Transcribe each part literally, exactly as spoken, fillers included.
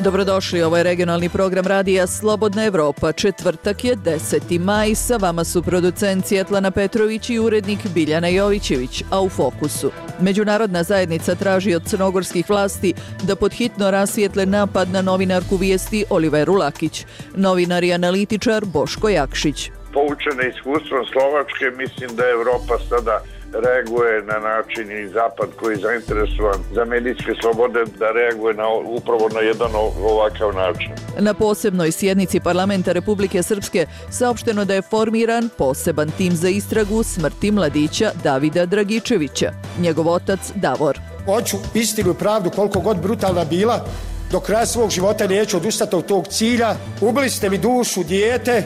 Dobrodošli, ovo je regionalni program radija Slobodna Evropa. Četvrtak je deseti maj, sa vama su producent Svjetlana Petrović i urednik Biljana Jovićević, a u fokusu. Međunarodna zajednica traži od crnogorskih vlasti da podhitno rasvijetle napad na novinarku Vijesti Oliveru Lakić. Novinar i analitičar Boško Jakšić. Poučena iskustvom Slovačke, mislim da Evropa sada reaguje na način i Zapad koji je zainteresovan za medijske slobode da reaguje na, upravo na jedan ovakav način. Na posebnoj sjednici Parlamenta Republike Srpske saopšteno da je formiran poseban tim za istragu smrti mladića Davida Dragičevića. Njegov otac Davor. Hoću istinu i pravdu koliko god brutalna bila, do kraja svog života neću odustati od tog cilja. Ubili ste mi dušu, dijete,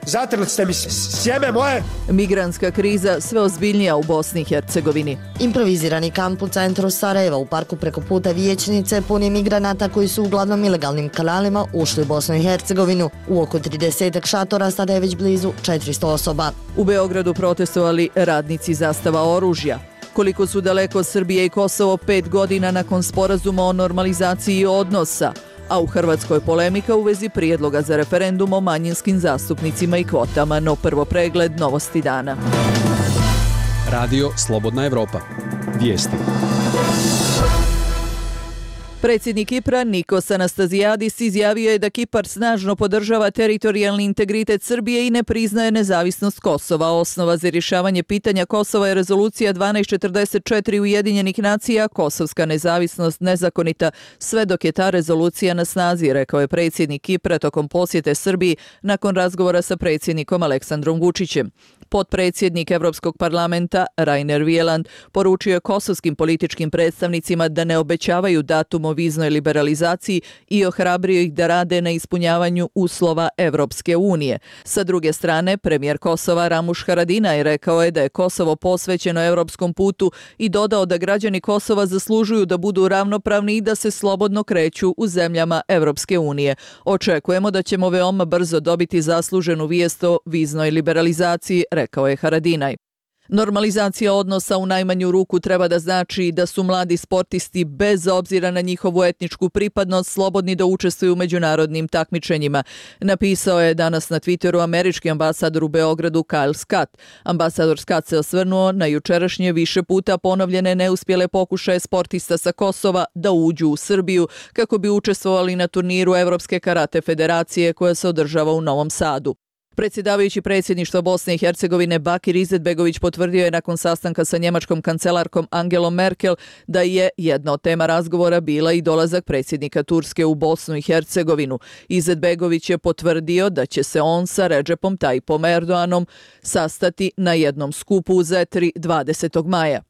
zatrli ste mi sjeme moje. Migrantska kriza sve ozbiljnija u Bosni i Hercegovini. Improvizirani kamp u centru Sarajeva u parku preko puta Vijećnice puni migranata koji su uglavnom ilegalnim kanalima ušli u Bosnu i Hercegovinu. U oko tridesetak šatora sada je već blizu četiristo osoba. U Beogradu protestovali radnici Zastava oružja. Koliko su daleko Srbije i Kosovo pet godina nakon sporazuma o normalizaciji odnosa, a u Hrvatskoj polemika u vezi prijedloga za referendum o manjinskim zastupnicima i kvotama, no prvo pregled novosti dana. Radio Slobodna Evropa. Vijesti. Predsjednik Kipra Nikos Anastazijadis izjavio je da Kipar snažno podržava teritorijalni integritet Srbije i ne priznaje nezavisnost Kosova. Osnova za rješavanje pitanja Kosova je rezolucija dvanaest četrdeset četiri Ujedinjenih nacija, kosovska nezavisnost nezakonita sve dok je ta rezolucija na snazi, rekao je predsjednik Kipra tokom posjete Srbiji nakon razgovora sa predsjednikom Aleksandrom Vučićem. Potpredsjednik Evropskog parlamenta Rainer Wieland poručio je kosovskim političkim predstavnicima da ne obećavaju datum o viznoj liberalizaciji i ohrabrio ih da rade na ispunjavanju uslova Evropske unije. Sa druge strane, premijer Kosova Ramuš Haradinaj rekao je da je Kosovo posvećeno evropskom putu i dodao da građani Kosova zaslužuju da budu ravnopravni i da se slobodno kreću u zemljama Evropske unije. Očekujemo da ćemo veoma brzo dobiti zasluženu vijest o viznoj liberalizaciji, rekao je Haradinaj. Normalizacija odnosa u najmanju ruku treba da znači da su mladi sportisti bez obzira na njihovu etničku pripadnost slobodni da učestvuju u međunarodnim takmičenjima, napisao je danas na Twitteru američki ambasador u Beogradu Kyle Scott. Ambasador Scott se osvrnuo na jučerašnje više puta ponovljene neuspjele pokušaje sportista sa Kosova da uđu u Srbiju kako bi učestvovali na turniru Evropske karate federacije koja se održava u Novom Sadu. Predsjedavajući predsjedništva Bosne i Hercegovine Bakir Izetbegović potvrdio je nakon sastanka sa njemačkom kancelarkom Angelom Merkel da je jedna od tema razgovora bila i dolazak predsjednika Turske u Bosnu i Hercegovinu. Izetbegović je potvrdio da će se on sa Redžepom Tayyipom Erdoganom sastati na jednom skupu u Zetri dvadesetog maja.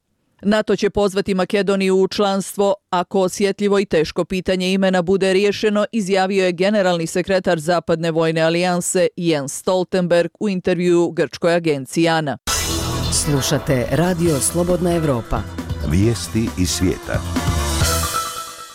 NATO će pozvati Makedoniju u članstvo ako osjetljivo i teško pitanje imena bude riješeno, izjavio je generalni sekretar Zapadne vojne alijanse Jens Stoltenberg u intervjuu grčkoj agenciji ANA. Slušate Radio Slobodna Evropa. Vijesti iz svijeta.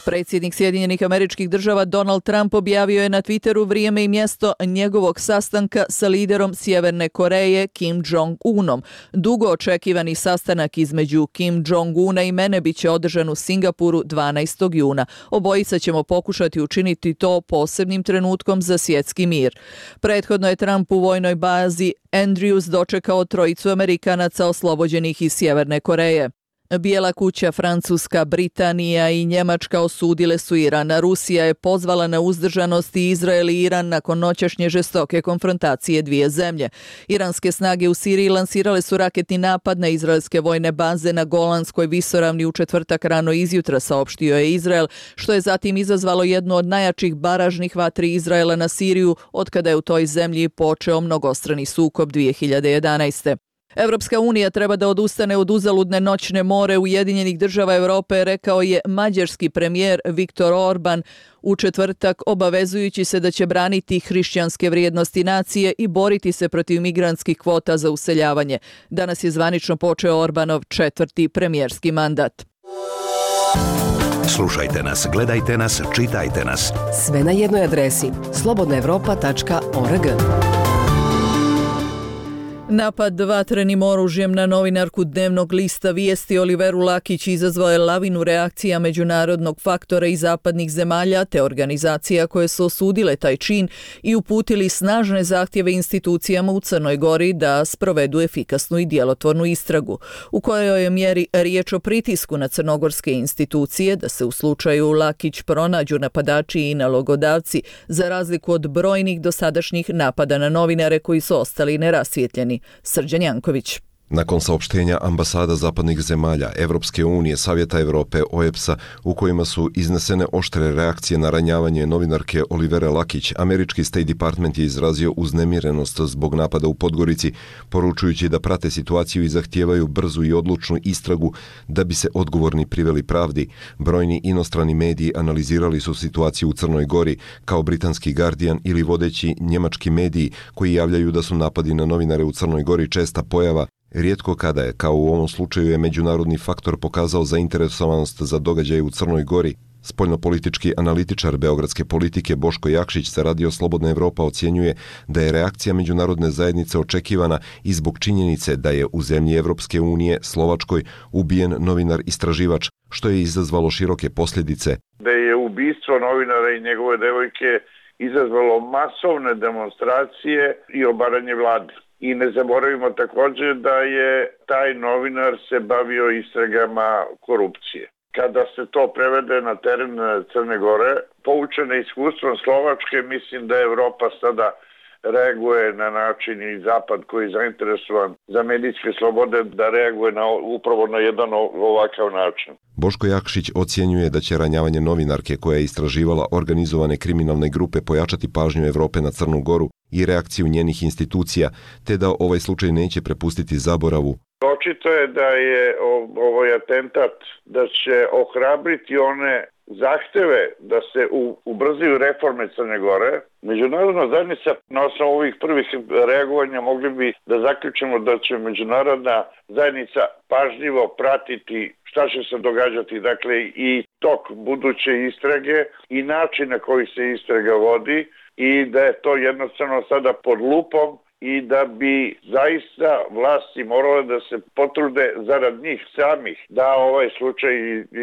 Predsjednik Sjedinjenih Američkih Država Donald Trump objavio je na Twitteru vrijeme i mjesto njegovog sastanka sa liderom Sjeverne Koreje Kim Jong-unom. Dugo očekivani sastanak između Kim Jong-una i mene bit će održan u Singapuru dvanaestog juna. Obojica ćemo pokušati učiniti to posebnim trenutkom za svjetski mir. Prethodno je Trump u vojnoj bazi Andrews dočekao trojicu Amerikanaca oslobođenih iz Sjeverne Koreje. Bijela kuća, Francuska, Britanija i Njemačka osudile su Iran. Rusija je pozvala na uzdržanost i Izrael i Iran nakon noćašnje žestoke konfrontacije dvije zemlje. Iranske snage u Siriji lansirale su raketni napad na izraelske vojne baze na Golanskoj visoravni u četvrtak rano izjutra, saopštio je Izrael, što je zatim izazvalo jednu od najjačih baražnih vatri Izraela na Siriju otkada je u toj zemlji počeo mnogostrani sukob dvije hiljade jedanaeste. Evropska unija treba da odustane od uzaludne noćne more Ujedinjenih država Europe, rekao je mađarski premijer Viktor Orban u četvrtak, obavezujući se da će braniti hrišćanske vrijednosti nacije i boriti se protiv migrantskih kvota za useljavanje. Danas je zvanično počeo Orbanov četvrti premijerski mandat. Slušajte nas, gledajte nas, čitajte nas. Sve na jednoj adresi slobodna evropa tačka org. Napad vatrenim oružjem na novinarku dnevnog lista Vijesti Oliveru Lakić izazvao je lavinu reakcija međunarodnog faktora i zapadnih zemalja te organizacija koje su osudile taj čin i uputili snažne zahtjeve institucijama u Crnoj Gori da sprovedu efikasnu i djelotvornu istragu, u kojoj je mjeri riječ o pritisku na crnogorske institucije da se u slučaju Lakić pronađu napadači i nalogodavci, za razliku od brojnih dosadašnjih napada na novinare koji su ostali nerasvijetljeni. Srđan Janković. Nakon saopštenja ambasada zapadnih zemalja, Evropske unije, Savjeta Europe, O E B S-a, u kojima su iznesene oštre reakcije na ranjavanje novinarke Olivere Lakić, američki State Department je izrazio uznemirenost zbog napada u Podgorici, poručujući da prate situaciju i zahtijevaju brzu i odlučnu istragu da bi se odgovorni priveli pravdi. Brojni inostrani mediji analizirali su situaciju u Crnoj Gori, kao britanski Guardian ili vodeći njemački mediji koji javljaju da su napadi na novinare u Crnoj Gori česta pojava. Rijetko kada je, kao u ovom slučaju, je međunarodni faktor pokazao zainteresovanost za događaje u Crnoj Gori. Spoljnopolitički analitičar beogradske politike Boško Jakšić za Radio Slobodna Evropa ocjenjuje da je reakcija međunarodne zajednice očekivana i zbog činjenice da je u zemlji Evropske unije, Slovačkoj, ubijen novinar istraživač, što je izazvalo široke posljedice. Da je ubistvo novinara i njegove devojke izazvalo masovne demonstracije i obaranje vlade. I ne zaboravimo također da je taj novinar se bavio istragama korupcije. Kada se to prevede na teren Crne Gore, poučena iskustvom Slovačke, mislim da Evropa sada reaguje na način i Zapad koji je zainteresovan za medijske slobode da reaguje na, upravo na jedan ovakav način. Boško Jakšić ocjenjuje da će ranjavanje novinarke koja je istraživala organizovane kriminalne grupe pojačati pažnju Evrope na Crnu Goru i reakciju njenih institucija, te da ovaj slučaj neće prepustiti zaboravu. Očito je da je ovaj atentat da će ohrabriti one zahteve da se ubrzaju reforme Crne Gore. Međunarodna zajednica na osnovu ovih prvih reagovanja mogli bi da zaključimo da će međunarodna zajednica pažljivo pratiti šta će se događati, dakle i tok buduće istrage i način na koji se istraga vodi i da je to jednostavno sada pod lupom i da bi zaista vlasti morale da se potrude zarad njih samih da ovaj slučaj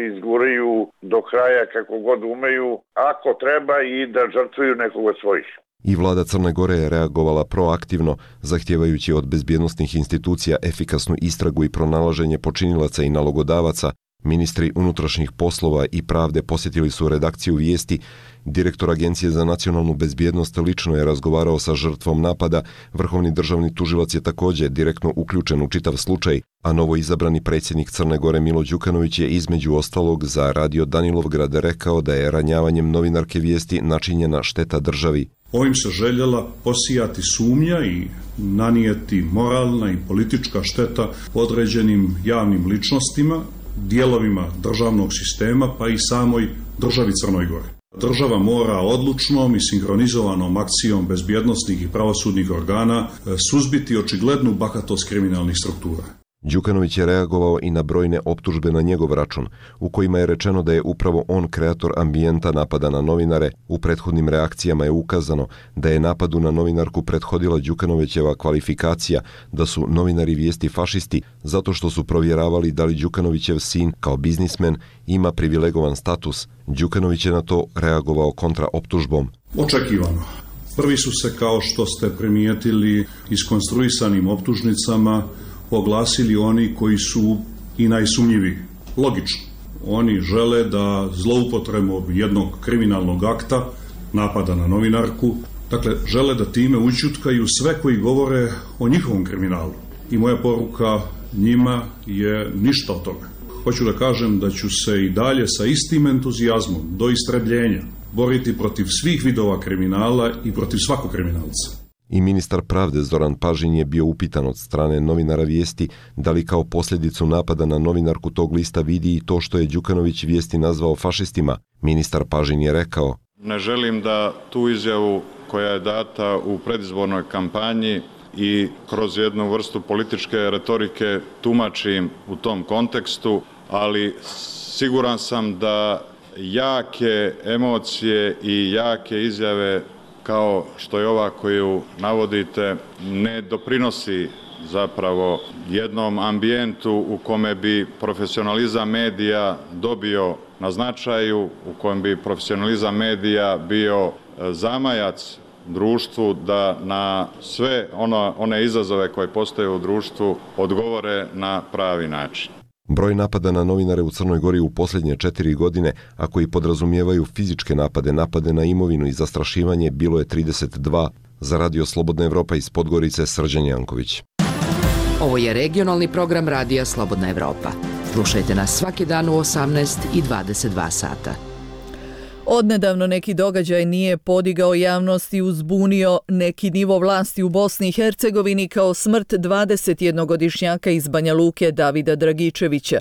izguraju do kraja kako god umeju, ako treba, i da žrtvuju nekoga svojih. I vlada Crne Gore je reagovala proaktivno, zahtijevajući od bezbjednosnih institucija efikasnu istragu i pronalaženje počinilaca i nalogodavaca. Ministri unutrašnjih poslova i pravde posjetili su redakciju Vijesti. Direktor Agencije za nacionalnu bezbjednost lično je razgovarao sa žrtvom napada. Vrhovni državni tužilac je također direktno uključen u čitav slučaj, a novo izabrani predsjednik Crne Gore Milo Đukanović je između ostalog za Radio Danilovgrad rekao da je ranjavanjem novinarke Vijesti načinjena šteta državi. Ovim se željela posijati sumnja i nanijeti moralna i politička šteta određenim javnim ličnostima, dijelovima državnog sistema pa i samoj državi Crnoj Gori. Država mora odlučnom i sinhronizovanom akcijom bezbjednosnih i pravosudnih organa suzbiti očiglednu bahatost kriminalnih struktura. Đukanović je reagovao i na brojne optužbe na njegov račun, u kojima je rečeno da je upravo on kreator ambijenta napada na novinare. U prethodnim reakcijama je ukazano da je napadu na novinarku prethodila Đukanovićeva kvalifikacija da su novinari Vijesti fašisti zato što su provjeravali da li Đukanovićev sin kao biznismen ima privilegovan status. Đukanović je na to reagovao kontra optužbom. Očekivano. Prvi su se, kao što ste primijetili, iskonstruisanim optužnicama oglasili oni koji su i najsumnjiviji. Logično. Oni žele da zloupotrebom jednog kriminalnog akta, napada na novinarku, dakle, žele da time ućutkaju sve koji govore o njihovom kriminalu. I moja poruka njima je ništa od toga. Hoću da kažem da ću se i dalje sa istim entuzijazmom do istrebljenja boriti protiv svih vidova kriminala i protiv svakog kriminalca. I ministar pravde Zoran Pažin je bio upitan od strane novinara Vijesti da li kao posljedicu napada na novinarku tog lista vidi i to što je Đukanović Vijesti nazvao fašistima. Ministar Pažin je rekao: Ne želim da tu izjavu koja je data u predizbornoj kampanji i kroz jednu vrstu političke retorike tumačim u tom kontekstu, ali siguran sam da jake emocije i jake izjave kao što je ova koju navodite ne doprinosi zapravo jednom ambijentu u kome bi profesionalizam medija dobio na značaju, u kojem bi profesionalizam medija bio zamajac društvu da na sve ono, one izazove koje postoje u društvu odgovore na pravi način. Broj napada na novinare u Crnoj Gori u posljednje četiri godine, a koji podrazumijevaju fizičke napade, napade na imovinu i zastrašivanje, bilo je trideset dva. Za Radio Slobodna Evropa iz Podgorice, Srđan Janković. Ovo je regionalni program Radija Slobodna Evropa. Slušajte nas svaki dan u osamnaest i dvadeset dva sata. Odnedavno neki događaj nije podigao javnost i uzbunio neki nivo vlasti u Bosni i Hercegovini kao smrt dvadesetjednogodišnjaka iz Banja Luke Davida Dragičevića.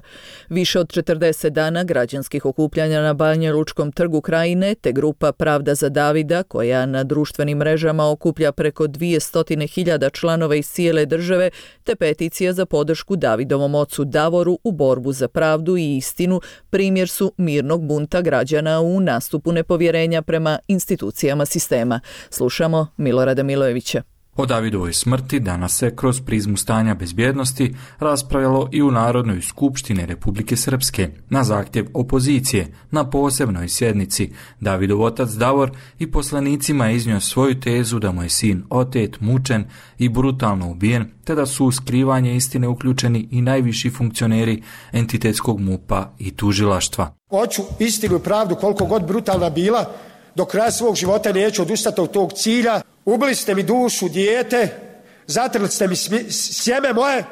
Više od četrdeset dana građanskih okupljanja na Banja Lučkom trgu Krajine te grupa Pravda za Davida, koja na društvenim mrežama okuplja preko dvjesto hiljada članova iz cijele države, te peticija za podršku Davidovom ocu Davoru u borbu za pravdu i istinu, primjer su mirnog bunta građana u nastupu nepovjerenja prema institucijama sistema. Slušamo Milorada Milojevića. O Davidovoj smrti danas se kroz prizmu stanja bezbjednosti raspravljalo i u Narodnoj skupštini Republike Srpske na zahtjev opozicije. Na posebnoj sjednici Davidov otac Davor i poslanicima je iznio svoju tezu da mu je sin otet, mučen i brutalno ubijen, te da su u skrivanje istine uključeni i najviši funkcioneri entitetskog MUP-a i tužilaštva. Hoću istinu i pravdu, koliko god brutalna bila, do kraja svog života neću odustati od tog cilja. Ubili ste mi dušu, dijete, zatrli ste mi sjeme moje,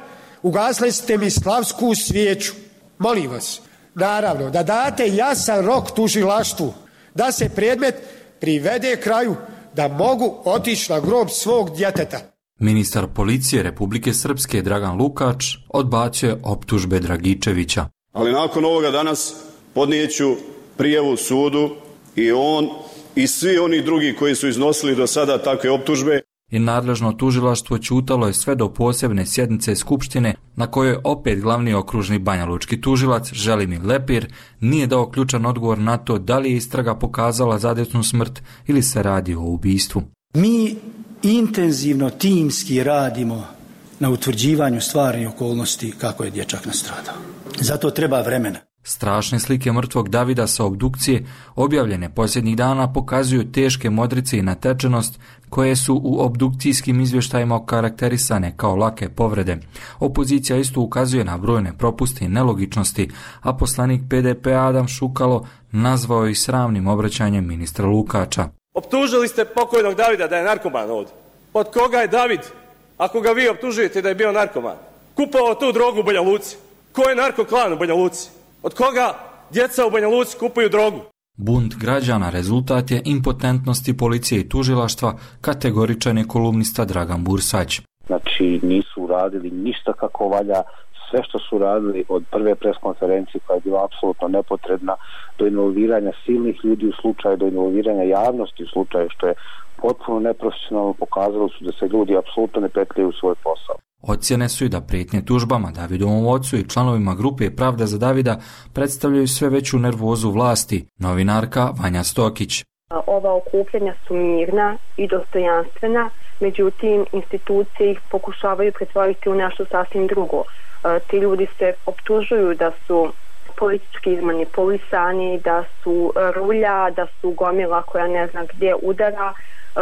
ugasli ste mi slavsku svijeću. Molim vas, naravno, da date jasan rok tužilaštvu, da se predmet privede kraju, da mogu otići na grob svog djeteta. Ministar policije Republike Srpske Dragan Lukač odbacio je optužbe Dragičevića. Ali nakon ovoga danas podnijeću prijavu sudu i on i svi oni drugi koji su iznosili do sada takve optužbe. I nadležno tužilaštvo ćutalo je sve do posebne sjednice Skupštine na kojoj opet glavni okružni banjalučki tužilac Želimir Lepir nije dao ključan odgovor na to da li je istraga pokazala zadesnu smrt ili se radi o ubistvu. Mi intenzivno timski radimo na utvrđivanju stvarnih okolnosti kako je dječak nastradao. Zato treba vremena. Strašne slike mrtvog Davida sa obdukcije, objavljene posljednjih dana, pokazuju teške modrice i natečenost koje su u obdukcijskim izvještajima okarakterisane kao lake povrede. Opozicija isto ukazuje na brojne propuste i nelogičnosti, a poslanik P D P Adam Šukalo nazvao ih sramnim obraćanjem ministra Lukača. Optužili ste pokojnog Davida da je narkoman ovdje. Od koga je David, ako ga vi optužujete da je bio narkoman? Kupovao tu drogu u Banja Luci. Ko je narkoklan u Banja Luci? Od koga djeca u Banja Luci kupuju drogu? Bunt građana rezultat je impotentnosti policije i tužilaštva, kategoričan je kolumnista Dragan Bursać. Znači nisu uradili ništa kako valja, sve što su radili od prve preskonferencije koja je bila apsolutno nepotrebna do involviranja silnih ljudi u slučaju, do involviranja javnosti u slučaju, što je potpuno neprofesionalno, pokazalo su da se ljudi apsolutno ne petljaju u svoj posao. Ocjene su i da prijetnje tužbama Davidovom ocu i članovima grupe Pravda za Davida predstavljaju sve veću nervozu vlasti. Novinarka Vanja Stokić. Ova okupljanja su mirna i dostojanstvena, međutim institucije ih pokušavaju pretvoriti u nešto sasvim drugo. Ti ljudi se optužuju da su politički izmanipulisani, da su rulja, da su gomila koja ne zna gdje udara,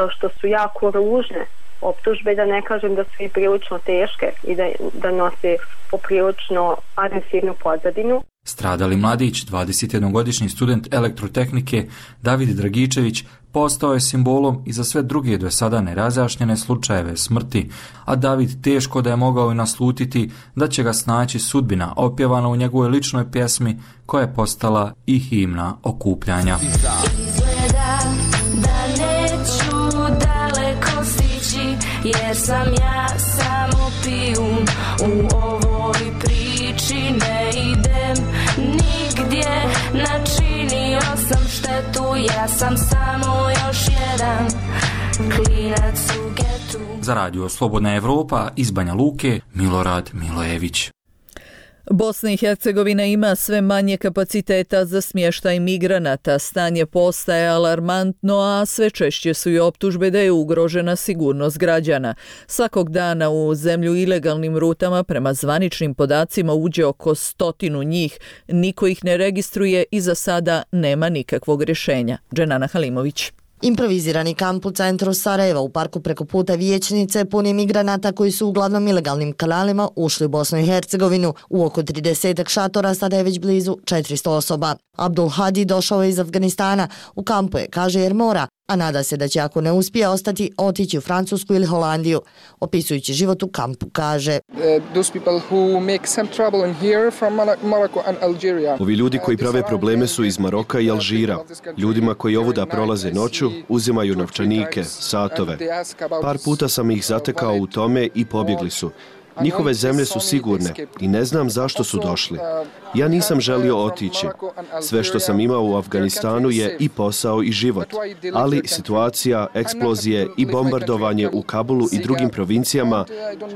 što su jako ružne optužbe, da ne kažem da su i prilično teške i da, da nose poprilično agresivnu pozadinu. Stradali mladić, dvadesetjednogodišnji student elektrotehnike David Dragičević, postao je simbolom i za sve druge do sada nerazjašnjene slučajeve smrti, a David teško da je mogao i naslutiti da će ga snaći sudbina opjevana u njegovoj ličnoj pjesmi koja je postala i himna okupljanja. Jer sam ja samo pijun u ovoj priči, ne idem nigdje, načinio sam štetu, ja sam samo još jedan klinac u getu. Za Radio Slobodna Evropa iz Banja Luke, Milorad Milojević. Bosna i Hercegovina ima sve manje kapaciteta za smještaj migranata. Stanje postaje alarmantno, a sve češće su i optužbe da je ugrožena sigurnost građana. Svakog dana u zemlju ilegalnim rutama prema zvaničnim podacima uđe oko stotinu njih. Niko ih ne registruje i za sada nema nikakvog rješenja. Dženana Halimović. Improvizirani kamp u centru Sarajeva u parku preko puta Vijećnice pun je migranata koji su uglavnom ilegalnim kanalima ušli u Bosnu i Hercegovinu. U oko tridesetak šatora sada je već blizu četiristo osoba. Abdul Hadi došao je iz Afganistana. U kampu je, kaže, jer mora, a nada se da će, ako ne uspije ostati, otići u Francusku ili Holandiju. Opisujući život u kampu, kaže: Ovi ljudi koji prave probleme su iz Maroka i Alžira. Ljudima koji ovuda prolaze noću, uzimaju novčanike, satove. Par puta sam ih zatekao u tome i pobjegli su. Njihove zemlje su sigurne i ne znam zašto su došli. Ja nisam želio otići. Sve što sam imao u Afganistanu je i posao i život. Ali situacija, eksplozije i bombardovanje u Kabulu i drugim provincijama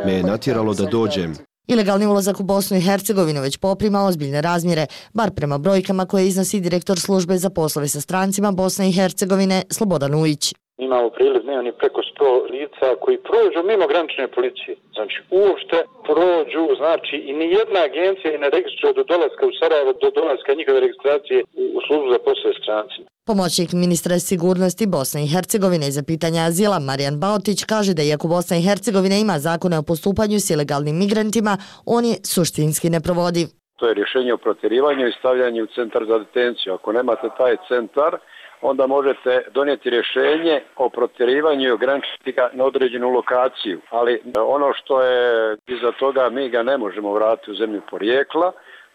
me je natjeralo da dođem. Ilegalni ulazak u Bosnu i Hercegovinu već poprima ozbiljne razmjere, bar prema brojkama koje iznosi direktor službe za poslove sa strancima Bosne i Hercegovine Slobodan Ujić. Imamo priliv dnevni preko sto lica koji prođu mimo granične policije. Znači, uopšte prođu, znači, i ni jedna agencija ne registruje do dolaska u Sarajevo, do dolaska njihove registracije u službu za poslove s strancima. Pomoćnik ministra sigurnosti Bosne i Hercegovine za pitanja azila Marijan Baotić kaže da iako Bosna i Hercegovina ima zakone o postupanju s ilegalnim migrantima, on je suštinski neprovodiv. To je rješenje o protjerivanju i stavljanju u centar za detenciju. Ako nemate taj centar, onda možete donijeti rješenje o protjerivanju i ograničiti ga na određenu lokaciju. Ali ono što je iza toga, mi ga ne možemo vratiti u zemlju porijekla,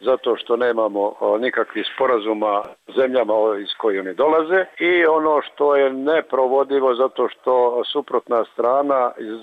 zato što nemamo nikakvih sporazuma s zemljama iz koje oni dolaze, i ono što je neprovodivo zato što suprotna strana iz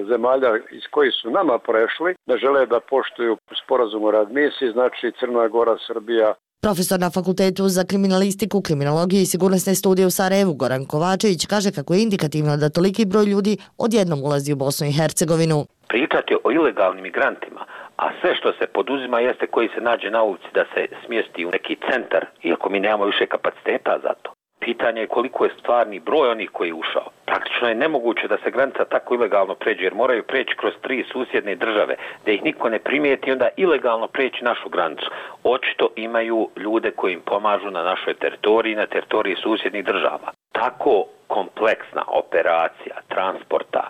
zemalja iz kojih su nama prešli ne žele da poštuju sporazum o readmisiji, znači Crna Gora, Srbija. Profesor na Fakultetu za kriminalistiku, kriminologiju i sigurnosne studije u Sarajevu Goran Kovačević kaže kako je indikativno da toliki broj ljudi odjednom ulazi u Bosnu i Hercegovinu. Pričati o ilegalnim migrantima, a sve što se poduzima jeste koji se nađe na ulici da se smjesti u neki centar, iako mi nemamo više kapaciteta za to. Pitanje je koliko je stvarni broj onih koji je ušao. Praktično je nemoguće da se granica tako ilegalno pređe, jer moraju preći kroz tri susjedne države, da ih niko ne primijeti i onda ilegalno preći našu granicu. Očito imaju ljude koji im pomažu na našoj teritoriji, na teritoriji susjednih država. Tako kompleksna operacija transporta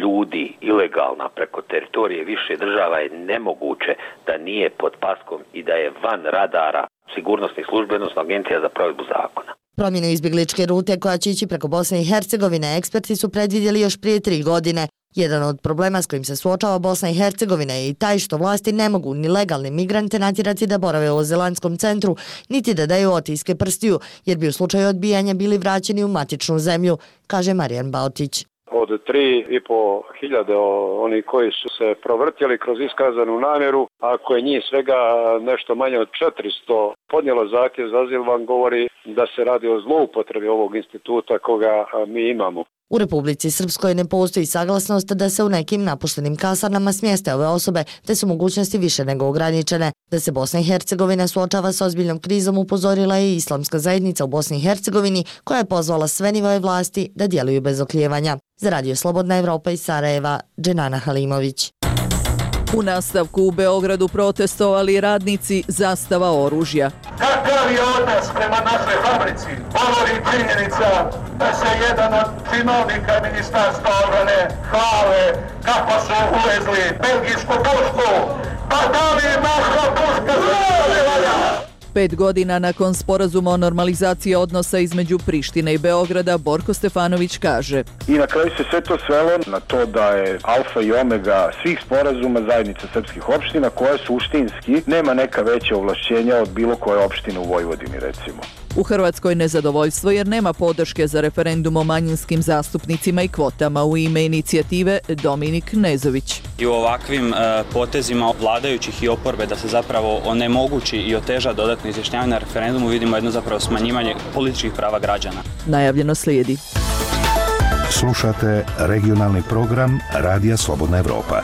ljudi ilegalna preko teritorije više država je nemoguće da nije pod paskom i da je van radara sigurnosnih službi, odnosno Agencija za provedbu zakona. Promjenu izbjegličke rute koja će ići preko Bosne i Hercegovine eksperti su predvidjeli još prije tri godine. Jedan od problema s kojim se suočava Bosna i Hercegovina je i taj što vlasti ne mogu ni legalne migrante natjerati da borave u azilantskom centru, niti da daju otiske prstiju, jer bi u slučaju odbijanja bili vraćeni u matičnu zemlju, kaže Marijan Baotić. Od tri i po hiljade oni koji su se provrtjeli kroz iskazanu namjeru, ako je njih svega nešto manje od četiristo podnijelo zahtjev za azil, vam govori da se radi o zloupotrebi ovog instituta koga mi imamo. U Republici Srpskoj ne postoji saglasnost da se u nekim napuštenim kasarnama smjeste ove osobe, te su mogućnosti više nego ograničene. Da se Bosna i Hercegovina suočava s ozbiljnom krizom upozorila je i islamska zajednica u Bosni i Hercegovini, koja je pozvala sve nivoje vlasti da djeluju bez oklijevanja. Za Radio Slobodna Evropa iz Sarajeva, Dženana Halimović. U nastavku u Beogradu protestovali radnici Zastava oružja. Kakav je odnos prema našoj fabrici? Govori činjenica da se jedan od činovnika Ministarstva obrane hvale kako su uvezli belgijsku pušku. Pa da li naša puška zvala? Pet godina nakon sporazuma o normalizaciji odnosa između Prištine i Beograda, Borko Stefanović kaže: I na kraju se sve to svelo na to da je alfa i omega svih sporazuma zajednica srpskih opština, koja suštinski nema neka veća ovlašćenja od bilo koje opštine u Vojvodini, recimo. U Hrvatskoj nezadovoljstvo jer nema podrške za referendum o manjinskim zastupnicima i kvotama. U ime inicijative Dominik Nezović. I u ovakvim e, potezima vladajućih i oporbe da se zapravo onemogući i oteža dodatno izjašnjavanje na referendumu vidimo jedno zapravo smanjivanje političkih prava građana. Najavljeno slijedi. Slušate regionalni program Radija Slobodna Evropa.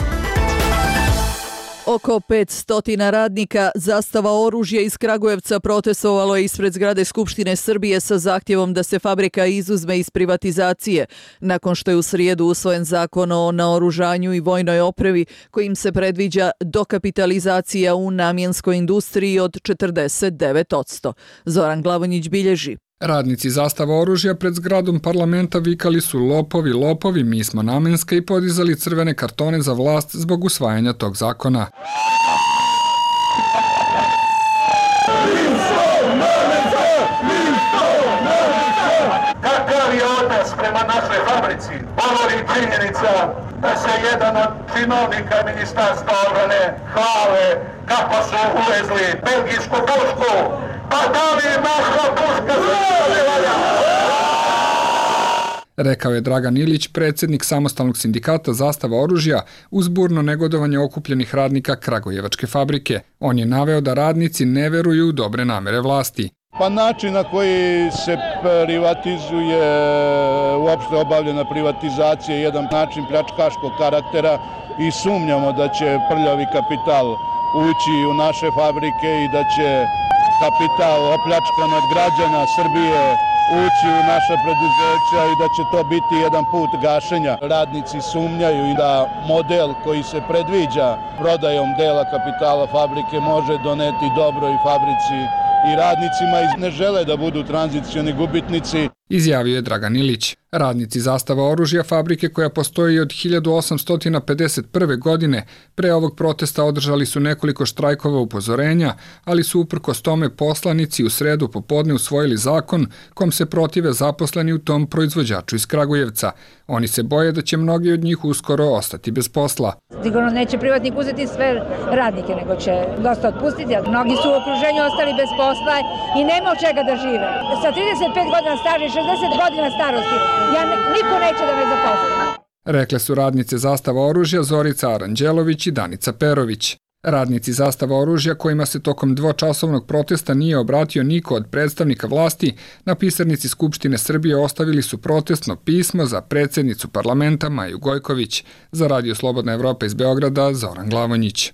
Oko petsto radnika Zastava oružja iz Kragujevca protestovalo je ispred zgrade Skupštine Srbije sa zahtjevom da se fabrika izuzme iz privatizacije, nakon što je u srijedu usvojen zakon o naoružanju i vojnoj opremi kojim se predviđa dokapitalizacija u namjenskoj industriji od četrdeset devet posto. Zoran Glavonjić bilježi. Radnici Zastava oružja pred zgradom parlamenta vikali su lopovi, lopovi, mi smo namenska i podizali crvene kartone za vlast zbog usvajanja tog zakona. Kakav je odnos prema našoj fabrici? Govori činjenica da se jedan od činovnika ministarstva obrane hvale kako su uvezli belgijsku pušku. Pa da li naša puška se ne valja? Rekao je Dragan Ilić, predsjednik samostalnog sindikata Zastava oružja, uz burno negodovanje okupljenih radnika Kragujevačke fabrike. On je naveo da radnici ne veruju u dobre namere vlasti. Pa način na koji se privatizuje, uopšte obavljena privatizacija je jedan način pljačkaškog karaktera i sumnjamo da će prljavi kapital ući u naše fabrike i da će kapital opljačkan od građana Srbije ući u naša preduzeća i da će to biti jedan put gašenja. Radnici sumnjaju i da model koji se predviđa prodajom dela kapitala fabrike može doneti dobro i fabrici i radnicima i ne žele da budu tranzicioni gubitnici. Izjavio je Dragan Ilić. Radnici Zastava oružja, fabrike koja postoji od hiljadu osamsto pedeset prve. godine, pre ovog protesta održali su nekoliko štrajkova upozorenja, ali su uprkos tome poslanici u sredu popodne usvojili zakon kom se protive zaposleni u tom proizvođaču iz Kragujevca. Oni se boje da će mnogi od njih uskoro ostati bez posla. Sigurno neće privatnik uzeti sve radnike, nego će dosta otpustiti, jer mnogi su u okruženju ostali bez posla i nema od čega da žive. Sa trideset pet godina staža i šezdeset godina starosti, ja ne, niko neće da me zaposli. Rekle su radnice Zastava oružja Zorica Aranđelović i Danica Perović. Radnici Zastava oružja, kojima se tokom dvočasovnog protesta nije obratio niko od predstavnika vlasti, na pisarnici Skupštine Srbije ostavili su protestno pismo za predsjednicu parlamenta Maju Gojković. Za Radio Slobodna Evropa iz Beograda, Zoran Glavonjić.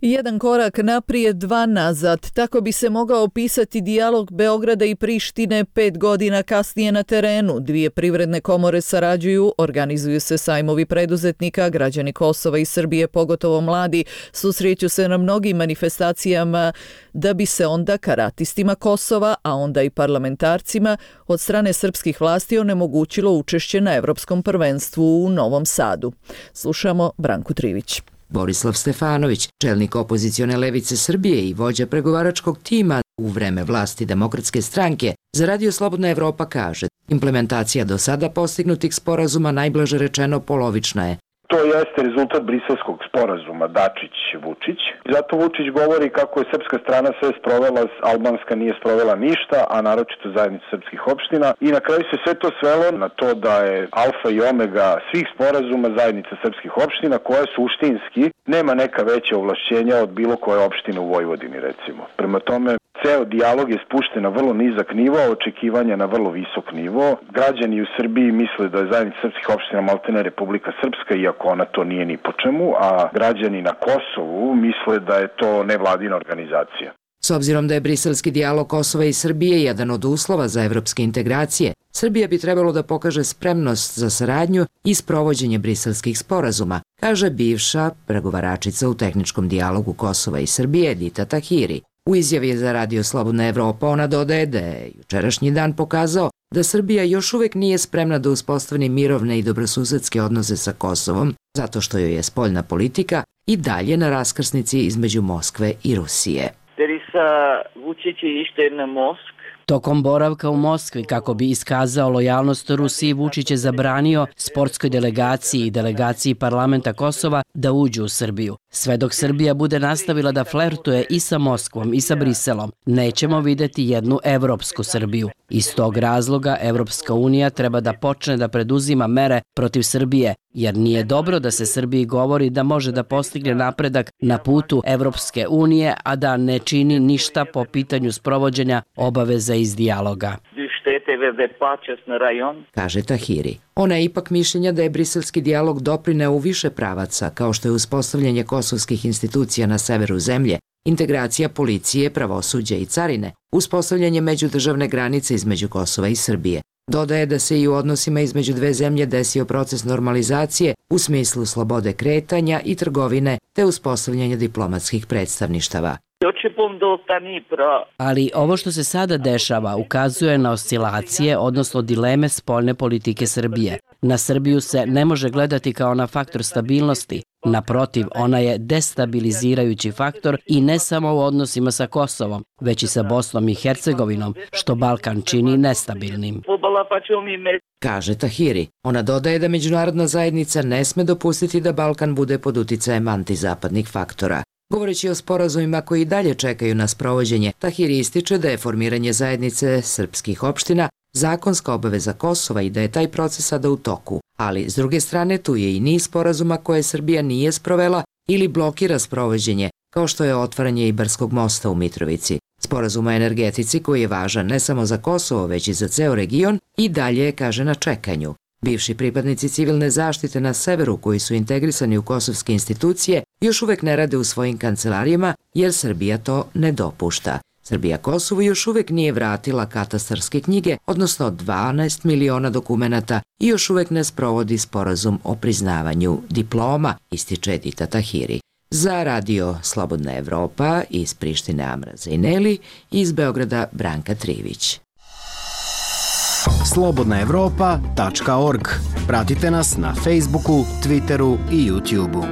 Jedan korak naprijed, dva nazad. Tako bi se mogao opisati dijalog Beograda i Prištine pet godina kasnije na terenu. Dvije privredne komore sarađuju, organizuju se sajmovi preduzetnika, građani Kosova i Srbije, pogotovo mladi, susreću se na mnogim manifestacijama da bi se onda karatistima Kosova, a onda i parlamentarcima od strane srpskih vlasti onemogućilo učešće na Evropskom prvenstvu u Novom Sadu. Slušamo Branku Trivić. Borislav Stefanović, čelnik opozicione levice Srbije i vođa pregovaračkog tima u vreme vlasti Demokratske stranke, za Radio Slobodna Evropa kaže: implementacija do sada postignutih sporazuma najblaže rečeno polovična je. To jeste rezultat briselskog sporazuma Dačić-Vučić. Zato Vučić govori kako je srpska strana sve sprovela, albanska nije sprovela ništa, a naročito zajednica srpskih opština. I na kraju se sve to svelo na to da je alfa i omega svih sporazuma zajednica srpskih opština, koja suštinski nema neka veća ovlašćenja od bilo koje opštine u Vojvodini, recimo. Prema tome, ceo dijalog je spušten na vrlo nizak nivo, a očekivanja na vrlo visok nivo. Građani u Srbiji misle da je zajednica srpskih opština maltene Republika Srpska, iako ona to nije ni po čemu, a građani na Kosovu misle da je to nevladina organizacija. S obzirom da je briselski dijalog Kosova i Srbije jedan od uslova za evropske integracije, Srbija bi trebalo da pokaže spremnost za saradnju i sprovođenje briselskih sporazuma, kaže bivša pregovaračica u tehničkom dijalogu Kosova i Srbije Edita Tahiri. U izjavi za Radio Slobodna Evropa ona dodaje da je jučerašnji dan pokazao da Srbija još uvek nije spremna da uspostavi mirovne i dobrosusedske odnose sa Kosovom, zato što joj je spoljna politika i dalje na raskrsnici između Moskve i Rusije. Tokom boravka u Moskvi, kako bi iskazao lojalnost Rusiji, Vučić je zabranio sportskoj delegaciji i delegaciji parlamenta Kosova da uđu u Srbiju. Sve dok Srbija bude nastavila da flertuje i sa Moskvom i sa Briselom, nećemo videti jednu evropsku Srbiju. Iz tog razloga Evropska unija treba da počne da preduzima mere protiv Srbije, jer nije dobro da se Srbiji govori da može da postigne napredak na putu Evropske unije, a da ne čini ništa po pitanju sprovođenja obaveza iz dijaloga. štete prevede počasni rajon, kaže Tahiri. Ona je ipak mišljenja da je briselski dijalog doprineo u više pravaca, kao što je uspostavljanje kosovskih institucija na severu zemlje, integracija policije, pravosuđa i carine, uspostavljanje međudržavne granice između Kosova i Srbije. Dodaje da se i u odnosima između dve zemlje desio proces normalizacije u smislu slobode kretanja i trgovine te uspostavljanje diplomatskih predstavništava. Ali ovo što se sada dešava ukazuje na oscilacije, odnosno dileme spoljne politike Srbije. Na Srbiju se ne može gledati kao na faktor stabilnosti. Naprotiv, ona je destabilizirajući faktor i ne samo u odnosima sa Kosovom, već i sa Bosnom i Hercegovinom, što Balkan čini nestabilnim, kaže Tahiri. Ona dodaje da međunarodna zajednica ne sme dopustiti da Balkan bude pod uticajem antizapadnih faktora. Govoreći o sporazumima koji i dalje čekaju na sprovođenje, Tahiri ističe da je formiranje zajednice srpskih opština zakonska obaveza Kosova i da je taj proces sada u toku. Ali, s druge strane, tu je i niz sporazuma koje Srbija nije sprovela ili blokira sprovođenje, kao što je otvaranje Ibarskog mosta u Mitrovici. Sporazum o energetici, koji je važan ne samo za Kosovo, već i za ceo region, i dalje je, kaže, na čekanju. Bivši pripadnici civilne zaštite na severu, koji su integrisani u kosovske institucije, još uvek ne rade u svojim kancelarijama, jer Srbija to ne dopušta. Srbija Kosovu još uvek nije vratila katastarske knjige, odnosno dvanaest miliona dokumenata, i još uvek ne sprovodi sporazum o priznavanju diploma, ističe Edita Tahiri. Za radio Slobodna Evropa iz Prištine Amra Zajneli, iz Beograda Branka Trivić. slobodna evropa tačka org. Pratite nas na Facebooku, Twitteru i YouTubeu.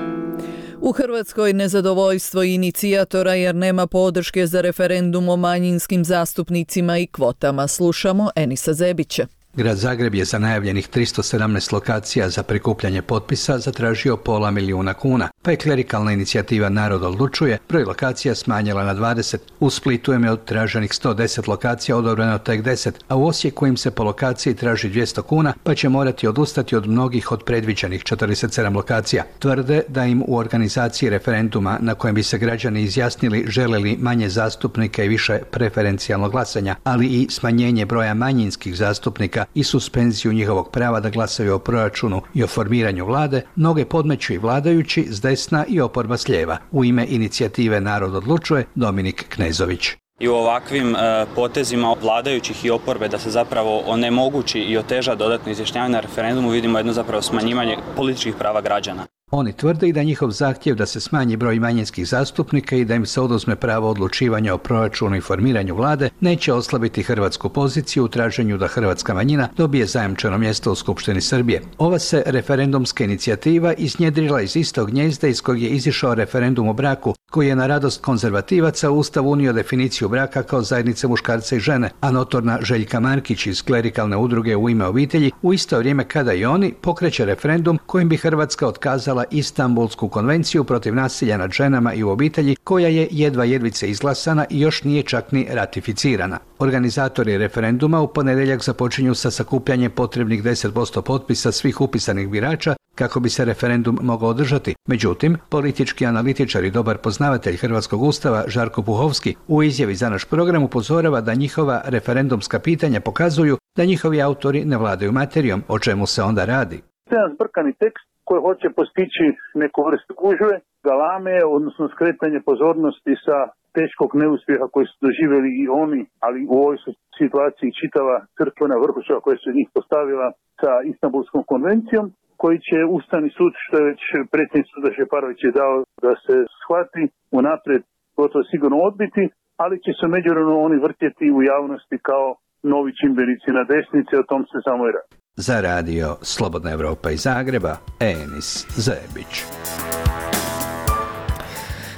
U Hrvatskoj nezadovoljstvo inicijatora jer nema podrške za referendum o manjinskim zastupnicima i kvotama. Slušamo Enisa Zebića. Grad Zagreb je za najavljenih tristo sedamnaest lokacija za prikupljanje potpisa zatražio pola milijuna kuna, pa je klerikalna inicijativa Narod odlučuje broj lokacija smanjila na dvadeset. U Splitu je od traženih sto deset lokacija odobreno tek deset, a u Osijeku im se po lokaciji traži dvjesto kuna, pa će morati odustati od mnogih od predviđenih četrdeset sedam lokacija. Tvrde da im u organizaciji referenduma na kojem bi se građani izjasnili žele li manje zastupnika i više preferencijalnog glasanja, ali i smanjenje broja manjinskih zastupnika i suspenziju njihovog prava da glasaju o proračunu i o formiranju vlade, mnoge podmeću i vladajući s desna i oporba s lijeva. U ime inicijative Narod odlučuje Dominik Knezović. I u ovakvim e, potezima vladajućih i oporbe da se zapravo onemogući i oteža dodatno izjašnjavanje na referendumu vidimo jedno zapravo smanjivanje političkih prava građana. Oni tvrde i da njihov zahtjev da se smanji broj manjinskih zastupnika i da im se oduzme pravo odlučivanja o proračunu i formiranju vlade neće oslabiti hrvatsku poziciju u traženju da hrvatska manjina dobije zajamčeno mjesto u Skupštini Srbije. Ova se referendumska inicijativa iznjedrila iz istog gnjezda iz kojeg je izišao referendum o braku, koji je na radost konzervativaca u Ustav unio definiciju braka kao zajednice muškarca i žene, a notorna Željka Markić iz klerikalne udruge U ime obitelji u isto vrijeme kada i oni pokreće referendum kojim bi Hrvatska otkazala Istanbulsku konvenciju protiv nasilja nad ženama i u obitelji, koja je jedva jedvice izglasana i još nije čak ni ratificirana. Organizatori referenduma u ponedjeljak započinju sa sakupljanjem potrebnih deset posto potpisa svih upisanih birača kako bi se referendum mogao održati. Međutim, politički analitičar i dobar poznavatelj hrvatskog ustava Žarko Puhovski u izjavi za naš program upozorava da njihova referendumska pitanja pokazuju da njihovi autori ne vladaju materijom, o čemu se onda radi. Jedan zbrkani tekst koji hoće postići neku vrstu gužve, galame, odnosno skretanje pozornosti sa teškog neuspjeha koji su doživjeli i oni, ali u ovoj situaciji čitava crkvena vrhuša koja se njih postavila sa Istanbulskom konvencijom, koji će Ustavni sud, što je već predsjednik suda Šeparović je dao da se shvati, unaprijed gotovo sigurno odbiti, ali će se međuvremeno oni vrtjeti u javnosti kao novi čimbenici na desnici, o tom se samo i radi. Za radio Slobodna Evropa iz Zagreba, Enis Zebić.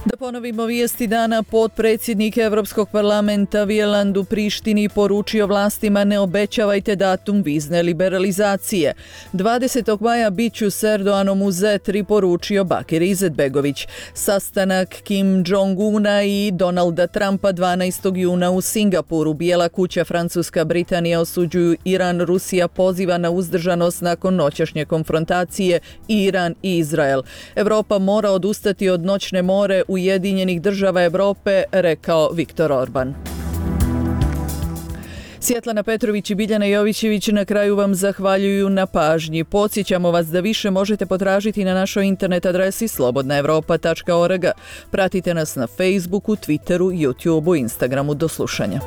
Da ponovimo vijesti dana, potpredsjednik Europskog parlamenta Wieland u Prištini poručio vlastima ne obećavajte datum vizne liberalizacije. dvadesetog maja bit ću s Erdoganom u Zetri, poručio Bakir Izetbegović. Sastanak Kim Jong-una i Donalda Trumpa dvanaestog juna u Singapuru. Bijela kuća, Francuska, Britanija osuđuju Iran, Rusija poziva na uzdržanost nakon noćašnje konfrontacije Iran i Izrael. Europa mora odustati od noćne more Ujedinjenih država Europe, rekao Viktor Orban. Svjetlana Petrović i Biljana Jovićević na kraju vam zahvaljuju na pažnji. Podsjećamo vas da više možete potražiti na našoj internet adresi slobodna evropa tačka org. Pratite nas na Facebooku, Twitteru, YouTubeu, Instagramu. Do slušanja.